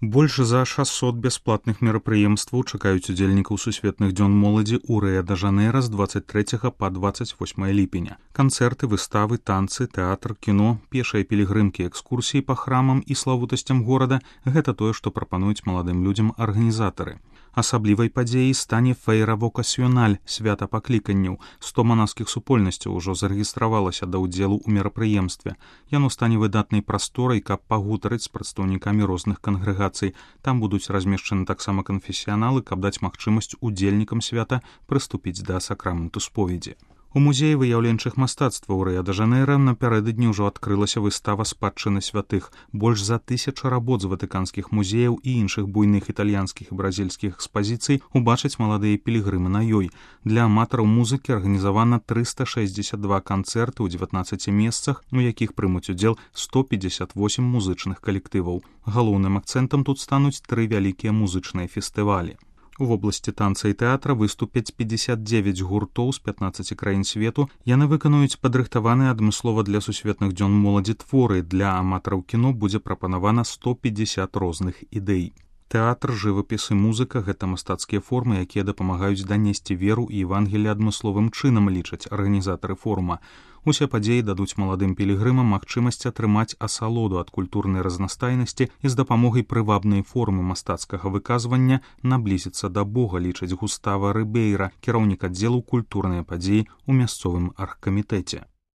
Больш за 600 бясплатных мерапрыемстваў чакаюць удзельнікаў сусветных дзён моладзі ў Рыа-дэ-Жанэйра з 23 па 28 ліпеня. Канцэрты, выставы, танцы, тэатр, кіно, пешыя пілігрымкі, экскурсіі па храмам і славутасцям горада – гэта тое, што прапануюць маладым людзям арганізатары. Асаблівай падзеяй стане фэйра вокасіёналь, свята пакліканняў. 100 манаскіх супольнасцяў ужо зарэгістравалася да ўдзелу ў мерапрыемстве. Яно стане выдатнай прасторай, каб пагутарыць з прадстаўнікамі розных кангрэгацый. Там будуць размешчаны таксама канфесіяналы, каб даць магчымасць удзельнікам свята прыступіць да сакраменту споведзі. У музеі выяўленчых мастацтваў Рыа-дэ-Жанэйра напярэдадні ўжо адкрылася выстава спадчыны святых. Больш за 1000 работ з ватыканскіх музеяў і іншых буйных італьянскіх і бразільскіх экспазіцый убачаць маладыя пілігрымы на ёй. Для аматараў музыкі арганізавана 362 канцэрты ў 19 месцах, у якіх прымуць удзел 158 музычных калектываў. Галоўным акцэнтам тут стануць 3 вялікія музычныя фестывалі. У вобласці танца і тэатра выступяць 59 гуртоў з 15 краін свету. Яны выканаюць падрыхтаваныя адмыслова для сусветных дзён моладзі творы. Для аматараў кіно будзе прапанавана 150 розных ідэй. Тэатр, жывапіс і музыка – гэта мастацкія формы, якія дапамагаюць данесці веру і евангелле адмысловым чынам, лічаць арганізатары форума. Усе падзеі дадуць маладым пілігрымам магчымасць атрымаць асалоду ад культурнай разнастайнасці і з дапамогай прывабнай формы мастацкага выказвання наблізіцца да Бога, лічыць Густава Рыбейра, кіраўнік аддзелу культурныя падзеі ў мясцовым аргкамітэце.